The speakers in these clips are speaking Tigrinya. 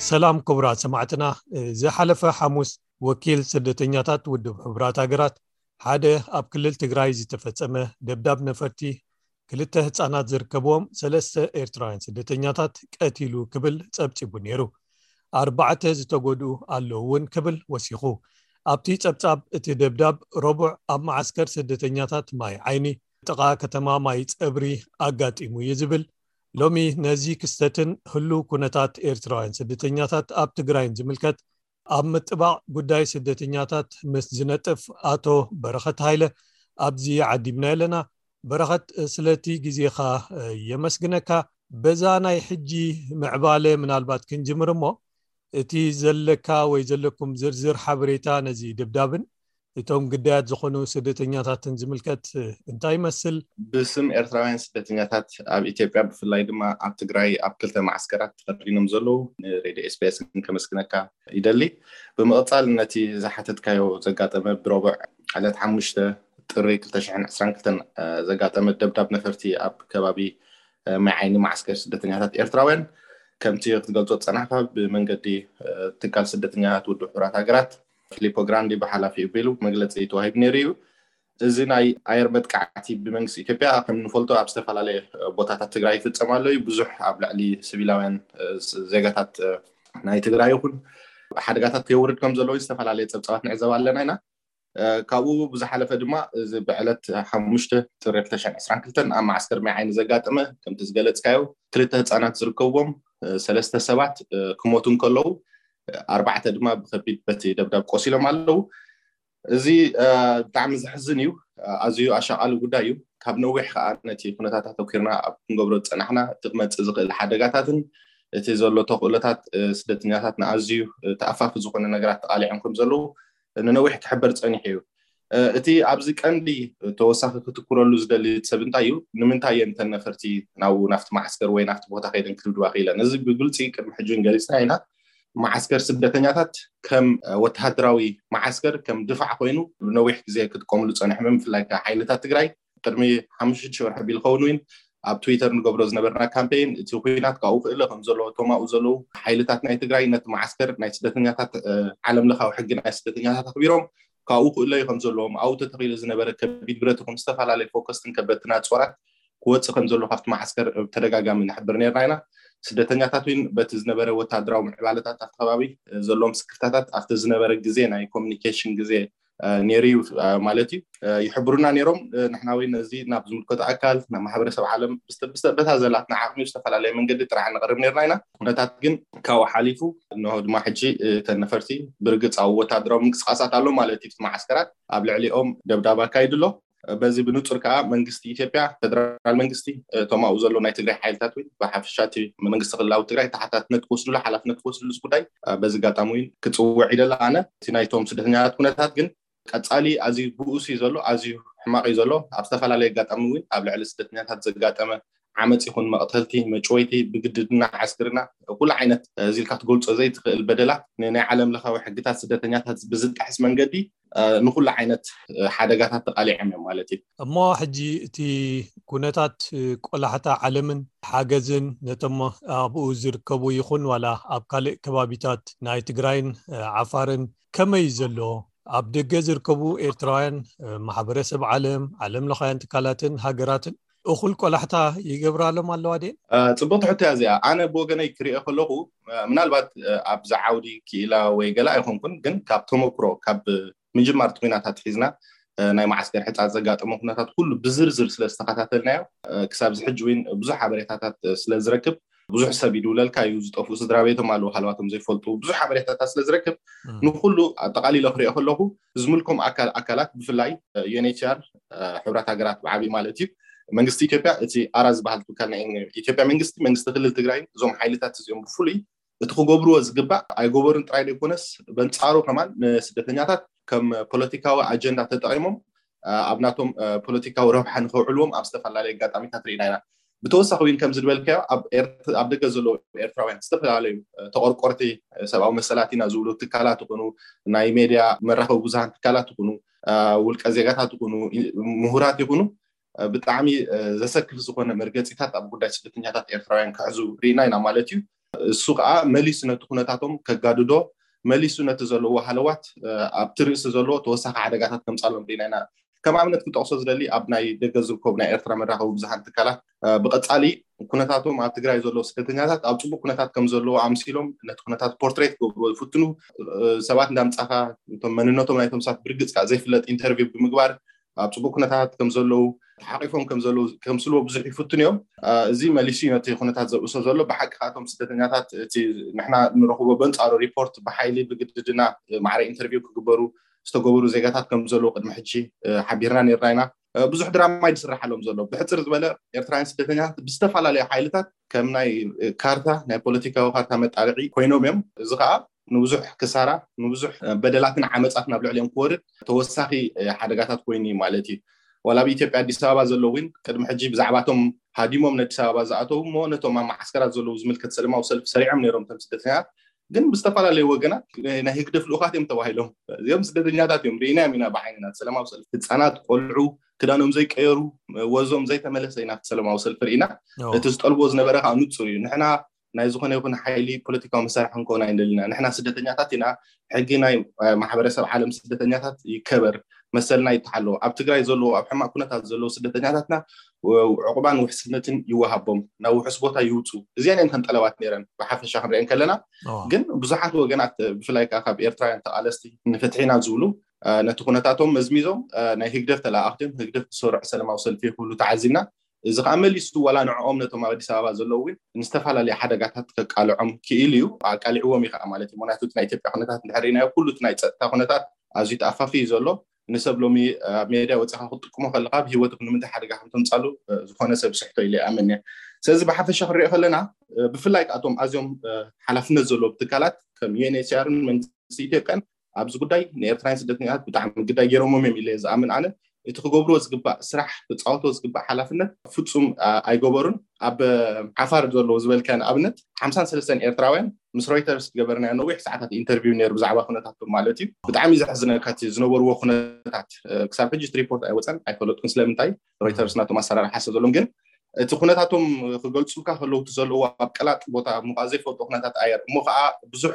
ሰላም ክቡራት ሰማዕትና። ዝሓለፈ ሓሙስ ወኪል ስደተኛታት ውድብ ሕቡራት ሃገራት ሓደ ኣብ ክልል ትግራይ ዝተፈጸመ ደብዳብ ነፈርቲ ክልተ ህጻናት ዝርከብዎም ሰለስተ ኤርትራውያን ስደተኛታት ቀቲሉ ክብል ጸብጺቡ ነይሩ። ኣርባዕተ ዝተጎድኡ ኣለዉ እውን ክብል ወሲኹ። ኣብቲ ጸብጻብ እቲ ደብዳብ ረቡዕ ኣብ መዓስከር ስደተኛታት ማይ ዓይኒ ጥቓ ከተማ ማይ ጸብሪ ኣጋጢሙ እዩ ዝብል። ሎሚ ነዚ ክስተትን ህሉው ኩነታት ኤርትራውያን ስደተኛታት ኣብ ትግራይን ዝምልከት ኣብ ምጥባቕ ጉዳይ ስደተኛታት ምስ ዝነጥፍ ኣቶ በረኸት ሃይለ ኣብዚ ዓዲምና ኣለና። በረኸት፣ ስለቲ ግዜኻ የመስግነካ። በዛ ናይ ሕጂ ምዕባለ ምናልባት ክንጅምር እሞ፣ እቲ ዘለካ ወይ ዘለኩም ዝርዝር ሓበሬታ ነዚ ደብዳብን እቶም ግዳያት ዝኾኑ ስደተኛታትን ዝምልከት እንታይ ይመስል? ብስም ኤርትራውያን ስደተኛታት ኣብ ኢትዮጵያ፣ ብፍላይ ድማ ኣብ ትግራይ ኣብ ክልተ መዓስከራት ተኸዲኖም ዘለዉ ንሬድዮ ኤስቢኤስ ከመስግነካ ይደሊ። ብምቕጻል ነቲ ዝሓተትካዮ ዘጋጠመ ብረቡዕ ዕለት ሓሙሽተ ጥሪ ክልተ ሽሕን ዕስራን ክልተን ዘጋጠመ ደብዳብ ነፈርቲ ኣብ ከባቢ ማይ ዓይኒ መዓስከር ስደተኛታት ኤርትራውያን፣ ከምቲ ክትገልጾ ዝጸናሕካ፣ ብመንገዲ ትካል ስደተኛታት ውድብ ሕቡራት ሃገራት ፊሊፖ ግራንዲ ብሓላፊኡ ኣቢሉ መግለጺ ተዋሂቡ ነይሩ እዩ። እዚ ናይ ኣየር መጥቃዕቲ ብመንግስቲ ኢትዮጵያ ከም ንፈልጦ ኣብ ዝተፈላለየ ቦታታት ትግራይ ይፍጸም ኣሎ እዩ። ብዙሕ ኣብ ልዕሊ ሲቪላውያን ዜጋታት ናይ ትግራይ ይኹን ሓደጋታት የውርድ ከም ዘለዎ ዝተፈላለየ ጸብጻባት ንዕዘብ ኣለና ኢና። ካብኡ ብዝሓለፈ ድማ እዚ ብዕለት ሓሙሽተ ጥሪ ክልተ ሽሕን ዕስራን ክልተን ኣብ መዓስከር ማይ ዓይኒ ዘጋጠመ፣ ከምቲ ዝገለጽካዮ፣ ክልተ ህጻናት ዝርከብዎም ሰለስተ ሰባት ክሞቱ እንከለዉ፣ ኣርባዕተ ድማ ብከቢድ በቲ ደብዳብ ቆሲሎም ኣለዉ። እዚ ብጣዕሚ ዘሕዝን እዩ። ኣዝዩ ኣሻቓሊ ጉዳይ እዩ። ካብ ነዊሕ ከዓ ነቲ ኩነታት ኣተኲርና ኣብ ክንገብሮ ዝጸናሕና፣ እቲ ክመጽእ ዝኽእል ሓደጋታትን እቲ ዘሎ ተኽእሎታት ስደተኛታት ንኣዝዩ ተኣፋፊ ዝኾነ ነገራት ተቓሊዖም ከም ዘለዉ ንነዊሕ ክሕበር ጸኒሑ እዩ። እቲ ኣብዚ ቀንዲ ተወሳኺ ክትኩረሉ ዝደሊ ሰብ እንታይ እዩ? ንምንታይ እየን እተን ነፈርቲ ናብኡ፣ ናብቲ መዓስከር ወይ ናብቲ ቦታ ከይደን ክድብድባ ክኢለን? እዚ ብግልጺ ቅድሚ ሕጂ እውን ገሊጽና ኢና። መዓስከር ስደተኛታት ከም ወተሃደራዊ መዓስከር፣ ከም ድፋዕ ኮይኑ ነዊሕ ግዜ ክጥቀምሉ ጸኒሖም እዮም። ብፍላይ ከኣ ሓይልታት ትግራይ ቅድሚ ሓሙሽተ ሽዱሽተ ወርሒ ቢል ኸውን እውን ኣብ ትዊተር ንገብሮ ዝነበርና ካምፔይን፣ እቲ ኲናት ካብኡ ክእለ ከም ዘለዎ፣ እቶም ኣብኡ ዘለዉ ሓይልታት ናይ ትግራይ ነቲ መዓስከር ናይ ስደተኛታት፣ ዓለም ለኻዊ ሕጊ ናይ ስደተኛታት ኣኽቢሮም ካብኡ ክእለዩ ከም ዘለዎም፣ ኣብኡ ተተኺሉ ዝነበረ ከቢድ ብረት ይኹን ዝተፈላለየ ፎከስትን ከበድትን ኣጽዋራት ክወጽእ ከም ዘሎ ካብቲ መዓስከር ብተደጋጋሚ ንሕብር ነርና ኢና። ስደተኛታት እውን በቲ ዝነበረ ወታደራዊ ምዕባለታት ኣብቲ ከባቢ ዘለዎም ስክፍታታት ኣብቲ ዝነበረ ግዜ ናይ ኮሚኒኬሽን ግዜ ነይሩ እዩ ማለት እዩ። ይሕብሩና ነይሮም። ንሕና እውን ነዚ ናብ ዝምልከቶ ኣካል፣ ናብ ማሕበረሰብ ዓለም ብስተ-፣ ብስተ-፣ በታ ዘላትና ዓቕሚ ብዝተፈላለየ መንገዲ ጥራሕ ንቕርብ ነርና ኢና። ኩነታት ግን ካብኡ ሓሊፉ፣ እንሆ ድማ ሕጂ እተን ነፈርቲ ብርግጽ ኣብ ወታደራዊ ምንቅስቃሳት ኣሎ ማለት እዩ። እቲ መዓስከራት ኣብ ልዕሊኦም ደብዳብ ኣካይዱ ኣሎ። በዚ ብንጹር ከኣ መንግስቲ ኢትዮጵያ፣ ፌደራል መንግስቲ፣ እቶም ኣብኡ ዘለዉ ናይ ትግራይ ሓይልታት እውን ብሓፈሻ እቲ መንግስቲ ክልላዊ ትግራይ ተሓታትነት ክወስድሉ፣ ሓላፍነት ክወስድሉ እዚ ጉዳይ በዚ ኣጋጣሚ እውን ክጽውዕ ይደሊ ኣነ። እቲ ናይቶም ስደተኛታት ኩነታት ግን ቀጻሊ ኣዝዩ ብኡስ እዩ ዘሎ፣ ኣዝዩ ሕማቕ እዩ ዘሎ። ኣብ ዝተፈላለየ ኣጋጣሚ እውን ኣብ ልዕሊ ስደተኛታት ዘጋጠመ ዓመጽ ይኹን መቕተልቲ፣ መጭወይቲ፣ ብግድድና፣ ዓስክርና፣ ኩሉ ዓይነት እዚ ኢልካ ክትገልጾ ዘይትኽእል በደላት ንናይ ዓለም ለኻዊ ሕግታት ስደተኛታት ብዝጥሕስ መንገዲ ንኹሉ ዓይነት ሓደጋታት ተቓሊዖም እዮም ማለት እዩ። እሞ ሕጂ እቲ ኩነታት ቆላሕታ ዓለምን ሓገዝን ነቶም ኣብኡ ዝርከቡ ይኹን ዋላ ኣብ ካልእ ከባቢታት ናይ ትግራይን ዓፋርን ከመይ እዩ ዘሎ? ኣብ ደገ ዝርከቡ ኤርትራውያን፣ ማሕበረሰብ ዓለም፣ ዓለም ለኻውያን ትካላትን ሃገራትን እኹል ቆላሕታ ይገብራሎም ኣለዋ ድየን? ጽብቕቲ ሕቶ እያ እዚኣ። ኣነ ብወገነይ ክሪኦ ከለኹ፣ ምናልባት ኣብዚ ዓውዲ ክኢላ ወይ ገለ ኣይኮንኩን፣ ግን ካብ ተመክሮ፣ ካብ ምጅማር እቲ ኲናት ኣትሒዝና፣ ናይ መዓስከር ሕጻጽ ዘጋጠመ ኩነታት ኩሉ ብዝርዝር ስለ ዝተኸታተልናዮ፣ ክሳብ እዚ ሕጂ እውን ብዙሕ ሓበሬታታት ስለ ዝረክብ፣ ብዙሕ ሰብ ይድውለልካ እዩ፣ ዝጠፍኡ ስድራ ቤቶም ኣለዉ፣ ሃለዋቶም ዘይፈልጡ፣ ብዙሕ ሓበሬታታት ስለ ዝረክብ፣ ንኩሉ ኣጠቓሊለ ክሪኦ ከለኹ፣ ዝምልኮም ኣካል-፣ ኣካላት፣ ብፍላይ ዩ ኤን ኤች ሲ ኣር፣ ሕቡራት ሃገራት ብዓቢ ማለት እዩ፣ መንግስቲ ኢትዮጵያ፣ እቲ ኣራ ዝበሃል ትካል ናይ ኢትዮጵያ መንግስቲ፣ መንግስቲ ክልል ትግራይ፣ እዞም ሓይልታት እዚኦም ብፍሉይ እቲ ክገብርዎ ዝግባእ ኣይገበሩን ጥራይ ዘይኮነስ፣ በንጻሩ ከማን ንስደተኛታት ከም ፖለቲካዊ ኣጀንዳ ተጠቒሞም፣ ኣብ ናቶም ፖለቲካዊ ረብሓ ንኸውዕልዎም ኣብ ዝተፈላለየ ኣጋጣሚታት ርኢና ኢና። ብተወሳኺ እውን ከምዚ ዝበልካዮ ኣብ ኤርት-፣ ኣብ ደገ ዘለዉ ኤርትራውያን ዝተፈላለዩ ተቆርቆርቲ ሰብኣዊ መሰላት ኢና ዝብሉ ትካላት ይኹኑ፣ ናይ ሜድያ መራኸቢ ብዙሃን ትካላት ይኹኑ፣ ውልቀ ዜጋታት ይኹኑ፣ ምሁራት ይኹኑ፣ ብጣዕሚ ዘሰክፍ ዝኾነ መርገጺታት ኣብ ጉዳይ ስደተኛታት ኤርትራውያን ክሕዙ ርኢና ኢና ማለት እዩ። እሱ ከዓ መሊሱ ነቲ ኩነታቶም ከጋድዶ፣ መሊሱ ነቲ ዘለዎ ሃለዋት ኣብቲ ርእሲ ዘለዎ ተወሳኺ ሓደጋታት ከምፃሎም ርኢና ኢና። ከም ኣብነት ክጠቕሶ ዝደሊ ኣብ ናይ ደገ ዝርከቡ ናይ ኤርትራ መራኸቢ ብዙሃን ትካላት ብቐፃሊ ኩነታቶም ኣብ ትግራይ ዘለዉ ስደተኛታት ኣብ ፅቡቅ ኩነታት ከም ዘለዎ ኣምሲሎም ነቲ ኩነታት ፖርትሬት ክገብሩ ዝፍትኑ ሰባት እንዳምፃኻ እቶም መንነቶም ናይቶም ሰባት ብርግፅ ከዓ ዘይፍለጥ ኢንተርቪው ብምግባር ኣብ ፅቡቅ ኩነታት ከም ዘለዉ ተሓቂፎም ከም ዘለዉ ከምስልዎ ብዙሕ ይፍትኑ እዮም። እዚ መሊሱ ነቲ ኩነታት ዘብእሶ ዘሎ ብሓቂ ካቶም ስደተኛታት እቲ ንሕና ንረኽቦ በንፃሩ ሪፖርት ብሓይሊ ብግድድና ማዕረ ኢንተርቪው ክግበሩ ዝተገበሩ ዜጋታት ከም ዘለዉ ቅድሚ ሕጂ ሓቢርና ነርና ኢና። ብዙሕ ድራማ ይስራሓሎም ዘሎ። ብሕፅር ዝበለ ኤርትራውያን ስደተኛታት ብዝተፈላለዩ ሓይልታት ከም ናይ ካርታ ናይ ፖለቲካዊ ካርታ መጣልዒ ኮይኖም እዮም። እዚ ከዓ ንብዙሕ ክሳራ ንብዙሕ በደላትን ዓመፃት ናብ ልዕሊኦም ክወርድ ተወሳኺ ሓደጋታት ኮይኑ እዩ ማለት እዩ። ዋላ ኣብ ኢትዮጵያ ኣዲስ ኣበባ ዘለዉ እውን ቅድሚ ሕጂ ብዛዕባቶም ሃዲሞም ንኣዲስ ኣበባ ዝኣተዉ እሞ ነቶም ኣብ መዓስከራት ዘለዉ ዝምልከት ሰለማዊ ሰልፊ ሰሪዖም ነይሮም እቶም ስደተኛታት። ግን ብዝተፈላለዩ ወገናት ናይ ህግደፍ ልኡኻት እዮም ተባሂሎም። እዚኦም ስደተኛታት እዮም፣ ርኢናዮም ኢና ብዓይንና። ሰለማዊ ሰልፊ ህፃናት፣ ቆልዑ፣ ክዳኖም ዘይቀየሩ፣ ወዞም ዘይተመለሰ ኢና ኣብቲ ሰለማዊ ሰልፊ ርኢና። እቲ ዝጠልቦ ዝነበረ ከዓ ንፁር እዩ። ንሕና ናይ ዝኾነ ይኹን ሓይሊ ፖለቲካዊ መሳርሒ ክንከውን ኣይንደልና። ንሕና ስደተኛታት ኢና። ሕጊ ናይ ማሕበረሰብ ዓለም ስደተኛታት ይከበር፣ መሰልና ይተሓሎ። ኣብ ትግራይ ዘለዉ ኣብ ሕማቅ ኩነታት ዘለዉ ስደተኛታትና ዕቁባን ውሕስነትን ይወሃቦም፣ ናብ ውሑስ ቦታ ይውፁ። እዚኣን እየን እተን ጠለባት ነይረን ብሓፈሻ ክንሪአን ከለና። ግን ብዙሓት ወገናት ብፍላይ ከዓ ካብ ኤርትራውያን ተቃለስቲ ንፍትሒ ኢና ዝብሉ ነቲ ኩነታቶም መዝሚዞም ናይ ህግደፍ ተለኣኣኽቲ እዮም፣ ህግደፍ ዝሰርዑ ሰለማዊ ሰልፊ ክብሉ ተዓዚብና። እዚ ከዓ መሊሱ ዋላ ንዕኦም ነቶም ኣብ ኣዲስ ኣበባ ዘለዉ እውን ንዝተፈላለዩ ሓደጋታት ከቃልዖም ክኢሉ እዩ፣ ኣቃሊዕዎም እዩ ከዓ ማለት እዩ። ምክንያቱ እቲ ናይ ኢትዮጵያ ኩነታት እንድሕር ርኢናዮ ኩሉ እቲ ናይ ፀጥታ ኩነታት ኣዝዩ ተኣፋፊ እዩ ዘሎ። ንሰብ ሎሚ ኣብ ሜድያ ወፂኻ ክትጥቅሞ ከለካ ብሂወትኩም ንምንታይ ሓደጋ ከም ተምፃሉ ዝኾነ ሰብ ስሕቶ ኢለ ይኣምን እየ። ስለዚ ብሓፈሻ ክንሪኦ ከለና ብፍላይ ከዓ እቶም ኣዝዮም ሓላፍነት ዘለዎም ትካላት ከም ዩኤንኤችሲኣርን መንግስቲ ኢትዮጵያን ኣብዚ ጉዳይ ንኤርትራውያን ስደተኛታት ብጣዕሚ ግዳይ ገይሮሞም እዮም ኢለ ዝኣምን ኣነ። እቲ ክገብርዎ ዝግባእ ስራሕ ክፃወትዎ ዝግባእ ሓላፍነት ፍፁም ኣይገበሩን። ኣብ ዓፋር ዘለዉ ዝበልካ ንኣብነት ሓምሳን ሰለስተን ኤርትራውያን ምስ ሮይተርስ ዝገበርናዮ ነዊሕ ሰዓታት ኢንተርቪው ነይሩ ብዛዕባ ኩነታቶም ማለት እዩ። ብጣዕሚ ዘሕዝነካ እቲ ዝነበርዎ ኩነታት ክሳብ ሕጂ እቲ ሪፖርት ኣይወፀን ኣይፈለጥኩን ስለምንታይ ሮይተርስ ናቶም ኣሰራርሓ ስለ ዘለዎም ግን እቲ ኩነታቶም ክገልፁልካ ከለዉ እቲ ዘለዎ ኣብ ቀላጥ ቦታ ምኳ ዘይፈልጦ ኩነታት ኣየር እሞ ከዓ ብዙሕ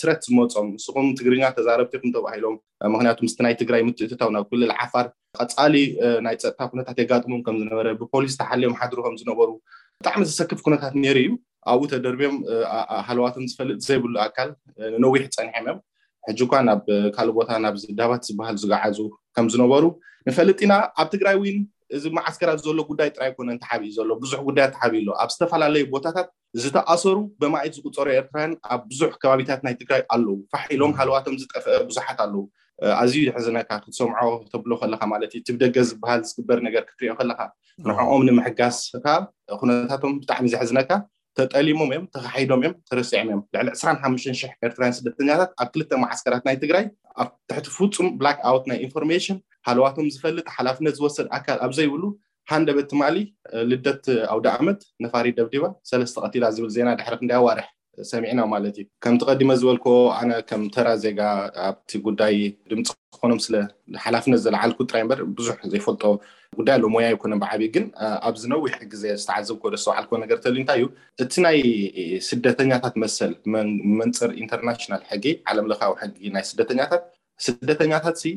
ትረት ዝመፆም ንስኹም ትግርኛ ተዛረብቲ ኢኹም ተባሂሎም ምክንያቱ ምስቲ ናይ ትግራይ ምትእትታው ናብ ክልል ዓፋር ቀፃሊ ናይ ፀጥታ ኩነታት የጋጥሞም ከም ዝነበረ ብፖሊስ ተሓልዮም ሓድሩ ከም ዝነበሩ ብጣዕሚ ዘሰክፍ ኩነታት ነይሩ እዩ። ኣብኡ ተደርብዮም ሃለዋቶም ዝፈልጥ ዘይብሉ ኣካል ነዊሕ ፀኒሖም እዮም። ሕጂ እኳ ናብ ካልእ ቦታ ናብ ዳባት ዝበሃል ዝገዓዙ ከም ዝነበሩ ንፈልጥ ኢና። ኣብ ትግራይ እውን እዚ መዓስከራት ዘሎ ጉዳይ ጥራይ ኮነ ተሓቢኡ ዘሎ ብዙሕ ጉዳያት ተሓቢኡ ኣሎ። ኣብ ዝተፈላለዩ ቦታታት ዝተኣሰሩ በማኢት ዝቁፀሩ ኤርትራውያን ኣብ ብዙሕ ከባቢታት ናይ ትግራይ ኣለዉ። ፋሕ ኢሎም ሃለዋቶም ዝጠፍአ ብዙሓት ኣለዉ። ኣዝዩ የሕዝነካ ክትሰምዖ ተብሎ ከለካ ማለት እዩ። እቲ ብደገ ዝበሃል ዝግበር ነገር ክትሪኦ ከለካ ንዕኦም ንምሕጋዝ ከዓ ኩነታቶም ብጣዕሚ ዘሕዝነካ ተጠሊሞም እዮም፣ ተኻሒዶም እዮም፣ ተረሲዖም እዮም። ልዕሊ ዕስራን ሓሙሽተን ሽሕ ኤርትራውያን ስደተኛታት ኣብ ክልተ መዓስከራት ናይ ትግራይ ኣብ ትሕቲ ፍጹም ብላክ ኣውት ናይ ኢንፎርሜሽን ሃለዋቶም ዝፈልጥ ሓላፍነት ዝወሰድ ኣካል ኣብ ዘይብሉ ሃንደበት ትማሊ ልደት ኣውደ ዓመት ነፋሪት ደብዲባ ሰለስተ ቀቲላ ዝብል ዜና ድሕሪ ክንደይ ኣዋርሕ ሰሚዕና ማለት እዩ። ከምቲ ቀዲመ ዝበልክዎ ኣነ ከም ተራ ዜጋ ኣብቲ ጉዳይ ድምፂ ክኾኖም ስለ ሓላፍነት ዘለዓልኩ ጥራይ እምበር ብዙሕ ዘይፈልጦ ጉዳይ ኣሎ። ሞያ ኣይኮነን ብዓብዩ ግን ኣብዚ ነዊሕ ግዜ ዝተዓዘብኮ ደስተውዓልኮ ነገር ተልዩ እንታይ እዩ እቲ ናይ ስደተኛታት መሰል መንፅር ኢንተርናሽናል ሕጊ ዓለም ለኻዊ ሕጊ ናይ ስደተኛታት ስደተኛታት ሲ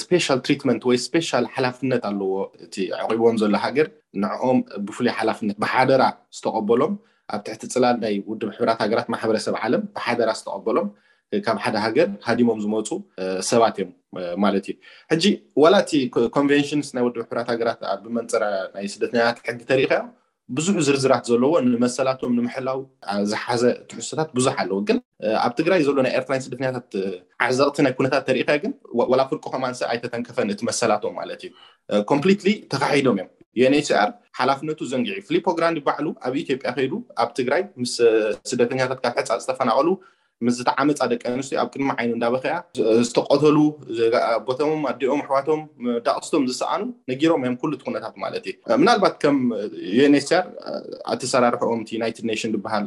ስፔሻል ትሪትመንት ወይ ስፔሻል ሓላፍነት ኣለዎ። እቲ ኣዕቂብዎም ዘሎ ሃገር ንዕኦም ብፍሉይ ሓላፍነት ብሓደራ ዝተቐበሎም ኣብ ትሕቲ ፅላል ናይ ውድብ ሕብራት ሃገራት ማሕበረሰብ ዓለም ብሓደራ ዝተቐበሎም ካብ ሓደ ሃገር ሃዲሞም ዝመፁ ሰባት እዮም ማለት እዩ። ሕጂ ዋላ እቲ ኮንቬንሽንስ ናይ ውድብ ሕብራት ሃገራት ኣብ መንፅር ናይ ስደተኛታት ሕጊ ተሪኢኻዮ ብዙሕ ዝርዝራት ዘለዎ ንመሰላቶም ንምሕላው ዝሓዘ ትሕዝቶታት ብዙሕ ኣለዎ። ግን ኣብ ትግራይ ዘሎ ናይ ኤርትራን ስደተኛታት ዓዘቕቲ ናይ ኩነታት ተሪኢኻዮ ግን ዋላ ፍርቁ ከማንሰ ኣይተተንከፈን እቲ መሰላቶም ማለት እዩ። ኮምፕሊትሊ ተኻሒዶም እዮም። ዩኤንኤችሲኣር ሓላፍነቱ ዘንጊዑ ፊሊፖ ግራንዲ ባዕሉ ኣብ ኢትዮጵያ ከይዱ ኣብ ትግራይ ምስ ስደተኛታት ካብ ሕፃ ዝተፈናቐሉ ምስ ዝተዓመፃ ደቂ ኣንስትዮ ኣብ ቅድሚ ዓይኑ እንዳበኸያ ዝተቐተሉ ቦቶሞም ኣዲኦም ኣሕዋቶም ዳቕስቶም ዝሰኣኑ ነጊሮም እዮም ኩሉ እቲ ኩነታት ማለት እዩ። ምናልባት ከም ዩኤንኤችሲኣር ኣተሰራርሕኦም እቲ ዩናይትድ ኔሽን ዝበሃል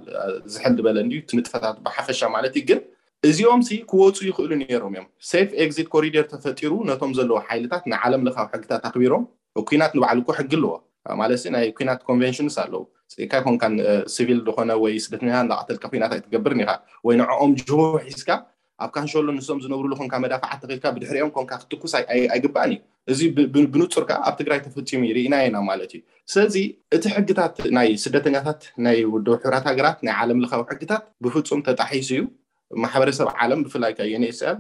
ዝሕል ዝበለ እንድዩ እቲ ንጥፈታት ብሓፈሻ ማለት እዩ። ግን እዚኦም ሲ ክወፁ ይኽእሉ ነይሮም እዮም። ሴፍ ኤግዚት ኮሪደር ተፈጢሩ ነቶም ዘለዉ ሓይልታት ንዓለም ለኻዊ ሕግታት ኣኽቢሮም ኩናት ንባዕሉ እኮ ሕጊ ኣለዎ ማለት ናይ ኩናት ኮንቨንሽንስ ኣለዉ። ስኢካ ይኮንካን ሲቪል ዝኾነ ወይ ስደተኛ እንዳቀተልካ ኩናት ኣይትገብርን ኢኻ። ወይ ንዕኦም ጅሆ ሒዝካ ኣብ ካንሸሎ ንሶም ዝነብሩሉ ኮንካ መዳፍዓት ተኺልካ ብድሕሪኦም ኮንካ ክትትኩስ ኣይግባእን እዩ። እዚ ብንጹር ከዓ ኣብ ትግራይ ተፈፂሙ ርኢና ኢና ማለት እዩ። ስለዚ እቲ ሕግታት ናይ ስደተኛታት ናይ ውድብ ሕራት ሃገራት ናይ ዓለም ለኻዊ ሕግታት ብፍፁም ተጣሒሱ እዩ። ማሕበረሰብ ዓለም ብፍላይ ከ ዩኤንኤችሲኣር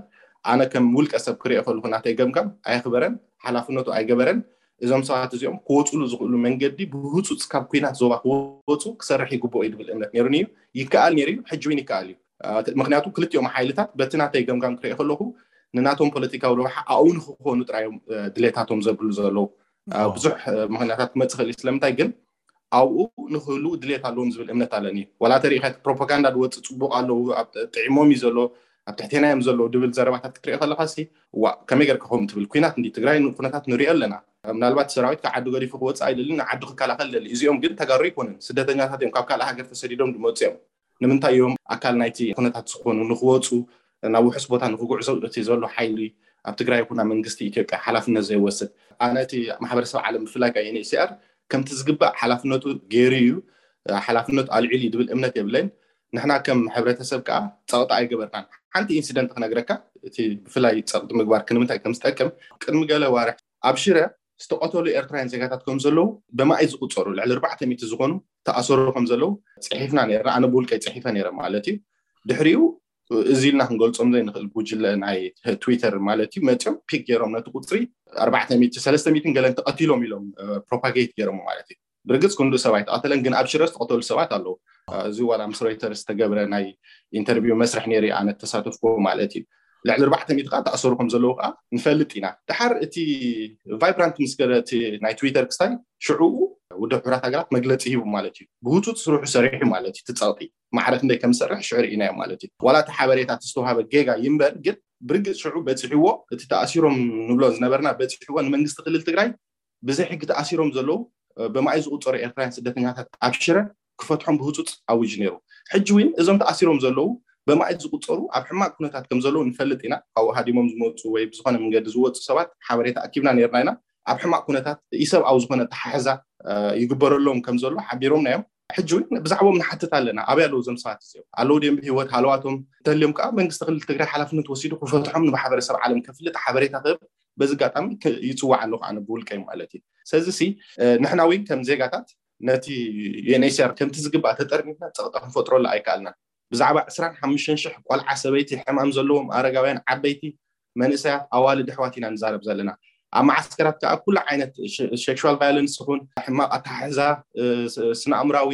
ኣነ ከም ውልቀ ሰብ ክሪኦ ከለኩ ናተይ ገምጋም ኣየኽበረን፣ ሓላፍነቱ ኣይገበረን። እዞም ሰባት እዚኦም ክወፁሉ ዝኽእሉ መንገዲ ብህፁፅ ካብ ኩናት ዞባ ክወፁ ክሰርሕ ይግብኦ እዩ ዝብል እምነት ነይሩኒ እዩ። ይከኣል ነይሩ እዩ፣ ሕጂ እውን ይከኣል እዩ። ምክንያቱ ክልቲኦም ሓይልታት በቲ ናተይ ገምጋም ክሪኦ ከለኩ ንናቶም ፖለቲካዊ ረብሓ ኣብኡ ንክኾኑ ጥራዮም ድሌታቶም ዘብሉ ዘለዉ ብዙሕ ምክንያታት ክመፅእ ክእል። ስለምንታይ ግን ኣብኡ ንክህሉ ድሌት ኣለዎም ዝብል እምነት ኣለኒ። ዋላ ተሪኢካ ፕሮፓጋንዳ ዝወፅእ ፅቡቅ ኣለዉ፣ ጥዒሞም እዩ ዘሎ፣ ኣብ ትሕቴና እዮም ዘለዉ ድብል ዘረባታት ክትሪኦ ከለካ ሲ ዋ ከመይ ገርካ ከምኡ ትብል? ኩናት እንዲ ትግራይ ኩነታት ንሪኦ ኣለና። ምናልባት ሰራዊት ካብ ዓዲ ገዲፉ ክወፅእ ኣይደልን፣ ዓዱ ክከላኸል ደሊ። እዚኦም ግን ተጋሩ ኣይኮኑን፣ ስደተኛታት እዮም፣ ካብ ካልእ ሃገር ተሰዲዶም ዝመፁ እዮም። ንምንታይ እዮም ኣካል ናይቲ ኩነታት ዝኾኑ ንክወፁ ናብ ውሑስ ቦታ ንክጉዕዞ እቲ ዘሎ ሓይሊ ኣብ ትግራይ ይኹን ኣብ መንግስቲ ኢትዮጵያ ሓላፍነት ዘይወስድ? ኣነ እቲ ማሕበረሰብ ዓለም ብፍላይ ከዓ ዩኤንኤችሲኣር ከምቲ ዝግባእ ሓላፍነቱ ገይሩ እዩ፣ ሓላፍነቱ ኣልዒሉ እዩ ዝብል እምነት የብለይን። ንሕና ከም ሕብረተሰብ ከዓ ፀቕጢ ኣይገበርናን። ሓንቲ ኢንሲደንት ክነግረካ፣ እቲ ብፍላይ ፀቕጢ ምግባር ክንምንታይ ከም ዝጠቅም። ቅድሚ ገለ ዋርሕ ኣብ ሽረ ዝተቐተሉ ኤርትራውያን ዜጋታት ከም ዘለዉ በማእይ ዝቁፀሩ ልዕሊ ኣርባዕተ ሚእቲ ዝኾኑ ተኣሰሩ ከም ዘለዉ ፅሒፍና ነርና። ኣነ ብውልቀይ ፅሒፈ ነይረ ማለት እዩ። ድሕሪኡ እዚ ኢልና ክንገልፆም ዘይንኽእል ጉጅለ ናይ ትዊተር ማለት እዩ መፅኦም ፒክ ገይሮም ነቲ ቁፅሪ ኣርባዕተ ሚእቲ ሰለስተ ሚእትን ገለን ተቐቲሎም ኢሎም ፕሮፓጌት ገይሮም ማለት እዩ። ብርግፅ ክንዱ ሰብ ኣይተቐተለን፣ ግን ኣብ ሽረ ዝተቐተሉ ሰባት ኣለዉ። እዚ ዋላ ምስ ሮይተርስ ዝተገብረ ናይ ኢንተርቪው መስርሕ ነይሩ ኣነ ተሳተፍኩ ማለት እዩ። ልዕሊ ኣርባዕተ ሚእቲ ከዓ ተኣሰሩ ከም ዘለዉ ከዓ ንፈልጥ ኢና። ድሓር እቲ ቫይብራንት ምስ ገለ እቲ ናይ ትዊተር ክስታይ ሽዑኡ ውድብ ሕቡራት ሃገራት መግለፂ ሂቡ ማለት እዩ። ብህፁፅ ስርሑ ሰሪሑ ማለት እዩ። እቲ ፀቕጢ ማዕረ ክንደይ ከም ዝሰርሕ ሽዑ ርኢናዮ ማለት እዩ። ዋላ እቲ ሓበሬታ እቲ ዝተዋሃበ ጌጋ ይንበር፣ ግን ብርግፅ ሽዑ በፂሕዎ፣ እቲ ተኣሲሮም ንብሎ ዝነበርና በፂሕዎ ንመንግስቲ ክልል ትግራይ ብዘይ ሕጊ ተኣሲሮም ዘለዉ በማእይ ዝቁፀሩ ኤርትራውያን ስደተኛታት ኣብ ሽረ ክፈትሖም ብህፁፅ ኣዊጅ ነይሩ። ሕጂ እውን እዞም ተኣሲሮም ዘለዉ በማእይ ዝቁፀሩ ኣብ ሕማቅ ኩነታት ከም ዘለዉ ንፈልጥ ኢና። ካብኡ ሃዲሞም ዝመፁ ወይ ብዝኾነ መንገዲ ዝወፁ ሰባት ሓበሬታ ኣኪብና ነይርና ኢና። ኣብ ሕማቅ ኩነታት ኢሰብኣዊ ዝኾነ ኣተሓሕዛ ይግበረሎም ከም ዘሎ ሓቢሮምና እዮም። ሕጂ እውን ብዛዕባኦም ንሓትት ኣለና። ኣበይ ኣለዉ እዞም ሰባት እዚኦም? ኣለዉ ድዮም ብህይወት? ሃለዋቶም እንተልዮም ከዓ መንግስቲ ክልል ትግራይ ሓላፍነት ወሲዱ ክፈትሖም ንማሕበረሰብ ዓለም ከፍልጥ ሓበሬታ ክህብ በዚ ኣጋጣሚ ይፅዋዕ ኣለኹ ኣነ ብውልቀይ ማለት እዩ። ስለዚ ሲ ንሕና እውን ከም ዜጋታት ነቲ ዩኤንኤችሲኣር ከምቲ ዝግባእ ተጠርኒፍና ፀቕጢ ክንፈጥረሉ ኣይከኣልናን። ብዛዕባ ዕስራን ሓሙሽተን ሽሕ ቆልዓ፣ ሰበይቲ፣ ሕማም ዘለዎም፣ ኣረጋውያን፣ ዓበይቲ፣ መንእሰያት፣ ኣዋልድ ኣሕዋት ኢና ንዛረብ ዘለና። ኣብ መዓስከራት ከዓ ኩሉ ዓይነት ሴክሹዋል ቫዮለንስ ይኹን ሕማቕ ኣተሓሕዛ፣ ስነ ኣእምራዊ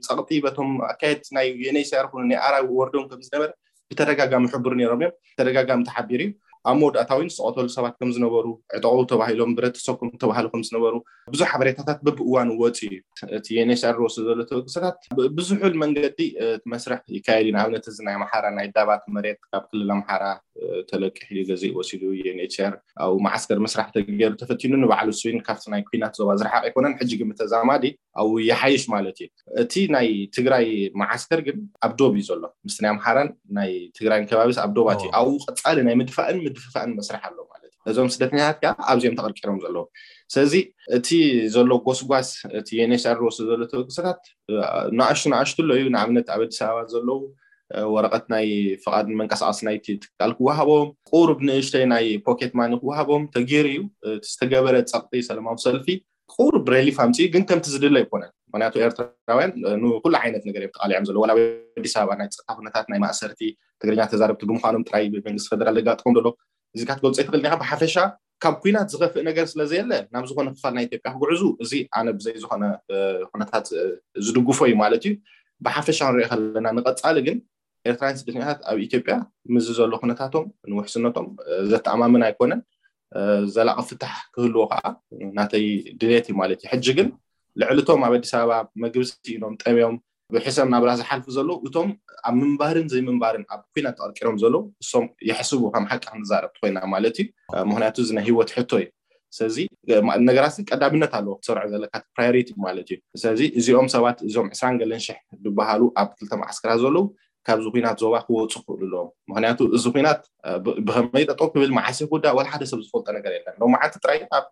ፀቕጢ በቶም ኣካየድቲ ናይ ዩኤንኤችሲኣር ይኹን ናይ ኣራዊ ወርዶም ከም ዝነበረ ብተደጋጋሚ ሕቡር ነይሮም እዮም። ተደጋጋሚ ተሓቢሩ እዩ። ኣብ መወዳእታ እውን ዝተቐተሉ ሰባት ከም ዝነበሩ፣ ዕጠቑ ተባሂሎም፣ ብረት ተሰኩም ተባህሉ ከም ዝነበሩ ብዙሕ ሓበሬታታት በብእዋኑ ወፂኡ እዩ። እቲ ዩኤንኤችሲኣር ዝወስዶ ዘሎ ተበግሶታት ብዝሑል መንገዲ እቲ መስርሕ ይካየድ እዩ። ንኣብነት እዚ ናይ ኣምሓራ ናይ ዳባት መሬት ካብ ክልል ኣምሓራ ተለቂሑ እዩ፣ ገዚኡ ወሲዱ ዩኤንኤችሲኣር። ኣብ መዓስከር መስራሕ ተገይሩ ተፈቲኑ ንባዕሉ ስዊን ካብቲ ናይ ኩናት ዞባ ዝረሓቕ ኣይኮነን። ሕጂ ግን ብተዛማዲ ኣብኡ ይሓይሽ ማለት እዩ። እቲ ናይ ትግራይ መዓስከር ግን ኣብ ዶብ እዩ ዘሎ። ምስቲ ናይ ኣምሓራን ናይ ትግራይን ከባቢስ ኣብ ዶባት እዩ። ኣብኡ ቀፃሊ ናይ ምድፋእን ምድፍፋእን መስርሕ ኣሎ ማለት እዩ። እዞም ስደተኛታት ከዓ ኣብዚኦም ተቐርቂሮም ዘለዉ። ስለዚ እቲ ዘሎ ጎስጓስ፣ እቲ ዩኤንኤችሲኣር ዝወስዶ ዘሎ ተበግሶታት ንኣሽቱ ንኣሽቱ ኣሎ እዩ። ንኣብነት ኣብ ኣዲስ ኣበባ ዘለዉ ወረቐት ናይ ፍቓድ መንቀሳቐሲ ናይቲ ትካል ክወሃቦም፣ ቁሩብ ንእሽተይ ናይ ፖኬት ማኒ ክወሃቦም ተገይሩ እዩ። እቲ ዝተገበረ ፀቕጢ ሰላማዊ ሰልፊ ቁሩብ ሬሊፍ ኣምፅኡ፣ ግን ከምቲ ዝድለ ኣይኮነን። ምክንያቱ ኤርትራውያን ንኩሉ ዓይነት ነገር እዮም ተቃሊዖም ዘለዉ። ዋላ ኣብ ኣዲስ ኣበባ ናይ ፀጥታ ኩነታት ናይ ማእሰርቲ ትግርኛ ተዛረብቲ ብምዃኖም ጥራይ መንግስቲ ፌደራል ዘጋጥሞም ዘሎ እዚ ክትገልፆ ኣይትኽእል ኢኻ። ብሓፈሻ ካብ ኩናት ዝኸፍእ ነገር ስለዘየለ ናብ ዝኾነ ክፋል ናይ ኢትዮጵያ ክጉዕዙ እዚ ኣነ ብዘይ ዝኾነ ኩነታት ዝድግፎ እዩ ማለት እዩ። ብሓፈሻ ንሪኦ ከለና ንቐፃሊ ግን ኤርትራውያን ስደተኛታት ኣብ ኢትዮጵያ ምስዚ ዘሎ ኩነታቶም ንውሕስነቶም ዘተኣማምን ኣይኮነን። ዘላቒ ፍታሕ ክህልዎ ከዓ ናተይ ድሌት እዩ ማለት እዩ። ሕጂ ግን ልዕሊ እቶም ኣብ ኣዲስ ኣበባ መግቢ ስኢኖም ጠምዮም ብሕሰም ናብራ ዝሓልፉ ዘለዉ እቶም ኣብ ምንባርን ዘይምንባርን ኣብ ኩናት ተቐርቂሮም ዘለዉ እሶም ይሕስቡ፣ ከም ሓቂ ክንዛረብ ኮይና ማለት እዩ። ምክንያቱ እዚ ናይ ህይወት ሕቶ እዩ። ስለዚ ነገራት ቀዳምነት ኣለዎ ክትሰርዖ ዘለካ ፕራዮሪቲ ማለት እዩ። ስለዚ እዚኦም ሰባት እዞም ዕስራን ገለን ሽሕ ዝበሃሉ ኣብ ክልተ መዓስከራት ዘለዉ ካብዚ ኩናት ዞባ ክወፁ ክኽእሉ ኣለዎም። ምክንያቱ እዚ ኩናት ብከመይ ጠጠው ክብል፣ መዓስ ክውዳእ፣ ዋላ ሓደ ሰብ ዝፈልጦ ነገር የለን። ሎማዓንቲ ጥራይ ኣብ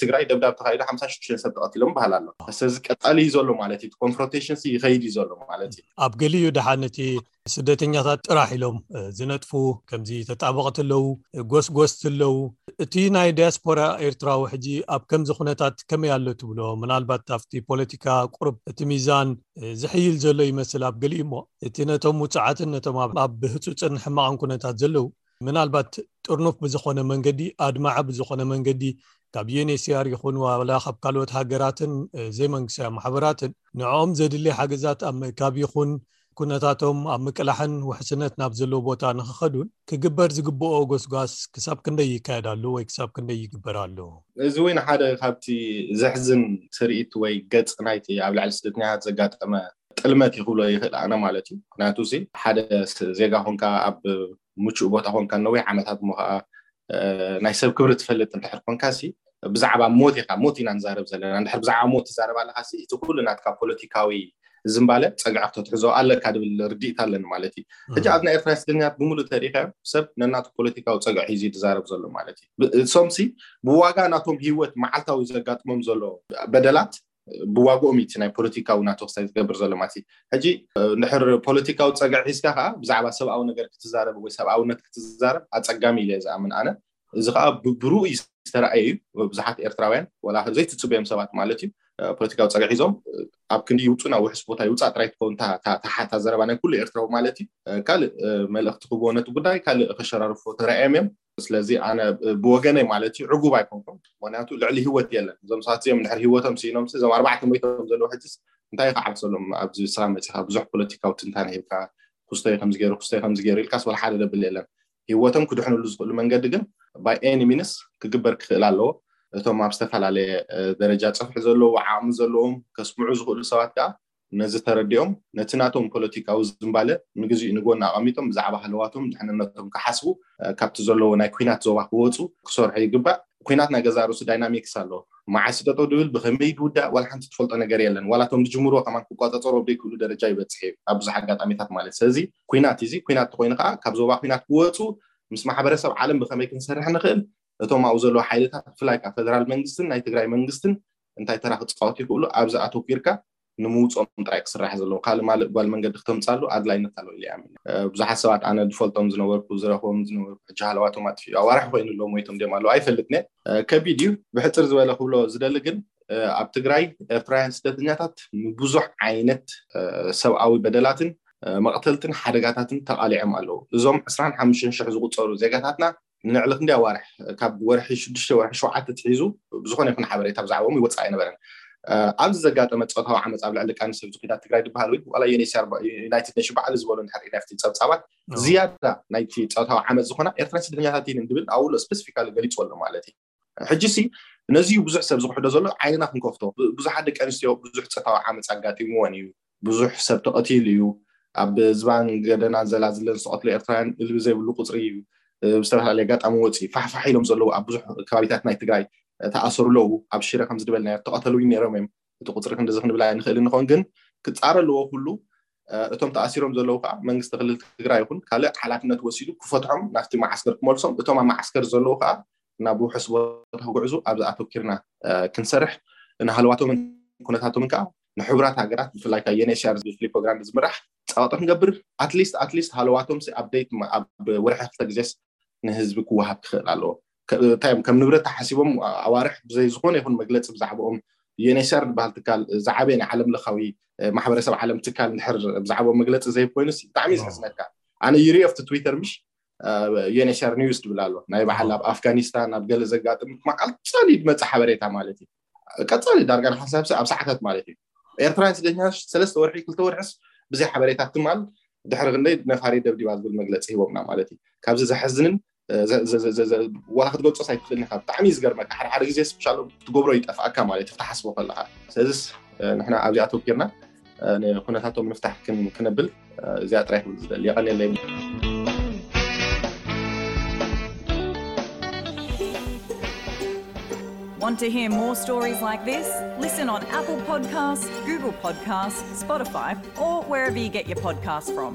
ትግራይ ደብዳብ ተካይዱ ሓምሳ ሽዱሽተ ሰብ ተቐቲሎም በሃል ኣሎ። ስለዚ ቀጻሊ እዩ ዘሎ ማለት እዩ። ኮንፍሮንቴሽን ይኸይድ እዩ ዘሎ ማለት እዩ። ኣብ ገሊኡ ደሓን እቲ ስደተኛታት ጥራሕ ኢሎም ዝነጥፉ፣ ከምዚ ተጣበቕቲ ኣለዉ፣ ጎስጎስቲ ኣለዉ። እቲ ናይ ዲያስፖራ ኤርትራዊ ሕጂ ኣብ ከምዚ ኩነታት ከመይ ኣሎ ትብሎ? ምናልባት ኣብቲ ፖለቲካ ቁርብ እቲ ሚዛን ዝሕይል ዘሎ ይመስል ኣብ ገሊኡ እሞ፣ እቲ ነቶም ውፅዓትን ነቶም ኣብ ህፁፅን ሕማቕን ኩነታት ዘለዉ ምናልባት ጥርኑፍ ብዝኾነ መንገዲ፣ ኣድማዒ ብዝኾነ መንገዲ ካብ ዩኤንኤችሲኣር ይኹን ዋላ ካብ ካልኦት ሃገራትን ዘይመንግስታዊ ማሕበራትን ንዕኦም ዘድሊ ሓገዛት ኣብ ምእካብ ይኹን ኩነታቶም ኣብ ምቅላሕን ውሕስነት ናብ ዘለዎ ቦታ ንክኸዱን ክግበር ዝግብኦ ጎስጓስ ክሳብ ክንደይ ይካየድ ኣሎ ወይ ክሳብ ክንደይ ይግበር ኣሎ? እዚ እውን ሓደ ካብቲ ዘሕዝን ትርኢት ወይ ገጽ ናይቲ ኣብ ልዕሊ ስደተኛታት ዘጋጠመ ጥልመት እዩ ክብሎ ይኽእል ኣነ ማለት እዩ። ምክንያቱ እዚ ሓደ ዜጋ ኮንካ ኣብ ምቹእ ቦታ ኮንካ ነዊሕ ዓመታት እሞ ከዓ ናይ ሰብ ክብሪ ትፈልጥ እንድሕር ኮንካ ሲ ብዛዕባ ሞት ኢኻ፣ ሞት ኢና ንዛረብ ዘለና። እንድሕር ብዛዕባ ሞት ትዛረብ ኣለካ ሲ እቲ ኩሉ ናትካ ፖለቲካዊ ዝምባለ ጸግዒ ክተትሕዞ ኣለካ ድብል ርድኢት ኣለኒ ማለት እዩ። ሕጂ ኣብ ናይ ኤርትራ ስደተኛታት ብምሉእ ተሪኢኻዮ ሰብ ነናቱ ፖለቲካዊ ጸግዒ ሒዙ ዝዛረብ ዘሎ ማለት እዩ። እሶም ሲ ብዋጋ ናቶም ህይወት መዓልታዊ ዘጋጥሞም ዘሎ በደላት ብዋግኦም እዩ ናይ ፖለቲካዊ ናቶ ክሳይ ዝገብር ዘሎ ማለት እዩ። ሕጂ እንድሕር ፖለቲካዊ ጸግዒ ሒዝካ ከዓ ብዛዕባ ሰብኣዊ ነገር ክትዛረብ ወይ ሰብኣውነት ክትዛረብ ኣጸጋሚ ኢለ ዝኣምን ኣነ። እዚ ከዓ ብሩኡ ዝተረኣየ እዩ። ብዙሓት ኤርትራውያን ወላ ዘይትጽበዮም ሰባት ማለት እዩ ፖለቲካዊ ጸግዒ ሒዞም ኣብ ክንዲ ይውፁ ናብ ውሕስ ቦታ ይውፃእ ጥራይ ትኸውን ታሓታ ዘረባ ናይ ኩሉ ኤርትራዊ ማለት እዩ። ካልእ መልእኽቲ ክብዎ ነቲ ጉዳይ ካልእ ከሸራርፎ ተረኣዮም እዮም። ስለዚ ኣነ ብወገነይ ማለት እዩ ዕጉብ ኣይኮንኩም። ምክንያቱ ልዕሊ ህይወት የለን። እዞም ሰባት እዚኦም ድሕር ህይወቶም ስኢኖም እዞም ኣርባዕተ ሞይቶም ዘለዉ ሕጅስ እንታይ ክዓብሰሎም ኣብዚ ስኻ መፂኻ ብዙሕ ፖለቲካዊ ትንታነ ሂብካ ክስቶይ ከምዚ ገይሩ ክስቶይ ከምዚ ገይሩ ኢልካስ ወላ ሓደ ደብል የለን። ህይወቶም ክድሕንሉ ዝኽእሉ መንገዲ ግን by any means ክግበር ክኽእል ኣለዎ። እቶም ኣብ ዝተፈላለየ ደረጃ ፅፍሒ ዘለዉ ዓቕሚ ዘለዎም ከስምዑ ዝኽእሉ ሰባት ከዓ ነዚ ተረዲኦም ነቲ ናቶም ፖለቲካዊ ዝምባለ ንግዚኡ ንጎን ኣቐሚጦም ብዛዕባ ሃለዋቶም ድሕንነቶም ክሓስቡ ካብቲ ዘለዎ ናይ ኩናት ዞባ ክወፁ ክሰርሑ ይግባእ። ኩናት ናይ ገዛ ርእሱ ዳይናሚክስ ኣለዎ። መዓስ ጠጠው ድብል ብኸመይ ድውዳእ ዋላ ሓንቲ ትፈልጦ ነገር የለን። ዋላ እቶም ዝጅምርዎ ከማን ክቆፃፀሩ ኣብ ዘይክእሉ ደረጃ ይበፅሕ እዩ ኣብ ብዙሕ ኣጋጣሚታት ማለት። ስለዚ ኩናት እዚ ኩናት ተኮይኑ ከዓ ካብ ዞባ ኩናት ክወፁ ምስ ማሕበረሰብ ዓለም ብኸመይ ክንሰርሕ ንኽእል እቶም ኣብኡ ዘለዉ ሓይልታት ብፍላይ ከዓ ፌደራል መንግስትን ናይ ትግራይ መንግስትን እንታይ ተራ ክፃወቱ ይኽእሉ ኣብዚ ኣተኪርካ ንምውፅኦም ጥራይ ክስራሕ ዘለዎ ካልእ ማልእ ጓል መንገዲ ክተምፃሉ ኣድላይነት ኣለዎ ኢለ ይኣምን። ብዙሓት ሰባት ኣነ ዝፈልጦም ዝነበርኩ ዝረኽቦም ዝነበርኩ ሕጂ ሃለዋቶም ኣጥፊኡ ኣዋርሕ ኮይኑ ኣለዎም ሞይቶም ድዮም ኣለዉ ኣይፈልጥን እየ። ከቢድ እዩ። ብሕፅር ዝበለ ክብሎ ዝደሊ ግን ኣብ ትግራይ ኤርትራውያን ስደተኛታት ንብዙሕ ዓይነት ሰብኣዊ በደላትን መቕተልትን ሓደጋታትን ተቓሊዖም ኣለዉ። እዞም ዕስራን ሓሙሽተን ሽሕ ዝቁፀሩ ዜጋታትና ንልዕሊ ክንደይ ኣዋርሕ ካብ ወርሒ ሽዱሽተ ወርሒ ሸውዓተ ትሒዙ ብዝኾነ ይኹን ሓበሬታ ብዛዕባኦም ይወፅእ ኣይነበረን። ኣብዚ ዘጋጠመ ፆታዊ ዓመፅ ኣብ ልዕሊ ደቂ ኣንስትዮ ዝኩዳ ትግራይ ዝበሃል ወይ ዋላ ዩኤንኤችሲኣር ዩናይትድ ኔሽን ባዕሉ ዝበሎ እንድሕር ኢና ኣብቲ ፀብፃባት ዝያዳ ናይቲ ፆታዊ ዓመፅ ዝኾና ኤርትራን ስደተኛታት እየን እንድብል ኣብኡ ስፔሲፊካሊ ገሊፁ ኣሎ ማለት እዩ። ሕጂ ሲ ነዚ ብዙሕ ሰብ ዝክሕዶ ዘሎ ዓይንና ክንከፍቶ ብዙሓት ደቂ ኣንስትዮ ብዙሕ ፆታዊ ዓመፅ ኣጋጢምዎን እዩ። ብዙሕ ሰብ ተቐቲሉ እዩ። ኣብ ዝባን ገደናን ዘላዝለን ዝተቐትሉ ኤርትራውያን እልቢ ዘይብሉ ቁፅሪ እዩ። ብዝተፈላለየ ኣጋጣሚ ወፂ ፋሕፋሕ ኢሎም ዘለዉ ኣብ ብዙሕ ከባቢታት ናይ ትግራይ ተኣሰሩ ኣለዉ። ኣብ ሽረ ከም ዝድበልናዮ ተቐተሉ ነይሮም እዮም። እቲ ቁፅሪ ክንድዚ ክንብል ኣይንኽእል ንኾን ግን ክፃረ ኣለዎ ኩሉ። እቶም ተኣሲሮም ዘለዉ ከዓ መንግስቲ ክልል ትግራይ ይኹን ካልእ ሓላፍነት ወሲዱ ክፈትሖም ናብቲ መዓስከር ክመልሶም። እቶም ኣብ መዓስከር ዘለዉ ከዓ ናብ ውሑስ ቦታ ክጉዕዙ ኣብዚ ኣተኪርና ክንሰርሕ ንሃለዋቶምን ኩነታቶምን ከዓ ንሕቡራት ሃገራት ብፍላይ ከዓ ዩኤንኤችሲኣር ዝብል ፍሉይ ፕሮግራም ብዝምራሕ ፀዋጦ ክንገብር ኣትሊስት ኣትሊስት ሃለዋቶም ኣፕዴት ኣብ ወርሒ ክልተ ግዜስ ንህዝቢ ክወሃብ ክኽእል ኣለዎ። እንታይ እዮም ከም ንብረት ተሓሲቦም ኣዋርሕ ብዘይ ዝኾነ ይኹን መግለፂ ብዛዕባኦም ዩኤንኤችሲኣር ዝበሃል ትካል ዝዓበየ ናይ ዓለም ለኻዊ ማሕበረሰብ ዓለም ትካል እንድሕር ብዛዕባኦም መግለፂ ዘይብ ኮይኑስ ብጣዕሚ እዩ ዘሕዝነካ። ኣነ ይሪኦ ኣብቲ ትዊተር ምሽ ዩኤንኤችሲኣር ኒውስ ትብል ኣሎ ናይ በዓል ኣብ ኣፍጋኒስታን ኣብ ገለ ዘጋጥም መዓልቲ ቀፃሊ ዝመፅእ ሓበሬታ ማለት እዩ። ቀፃሊ ዳርጋ ንሓሳብ ኣብ ሰዓታት ማለት እዩ። ኤርትራውያን ስደተኛታት ሰለስተ ወርሒ ክልተ ወርሕስ ብዘይ ሓበሬታ ትማል ድሕሪ ክንደይ ነፋሪት ደብዲባ ዝብል መግለፂ ሂቦምና ማለት እዩ። ካብዚ ዘሕዝንን ዋላ ክትገልፆ ኣይትኽእልን ኢኻ። ብጣዕሚ እዩ ዝገርመካ። ሓደ ሓደ ግዜ ስፔሻል ትገብሮ ይጠፍኣካ ማለት እዩ ክትሓስቦ ከለካ። ስለዚስ ንሕና ኣብዚኣ ኣተኪርና ንኩነታቶም ምፍታሕ ክነብል እዚኣ ጥራይ ክብል ዝደሊ። የቐንየለይ። Want to hear more stories like this? Listen on Apple Podcasts, Google Podcasts, Spotify, or wherever you get your podcasts from.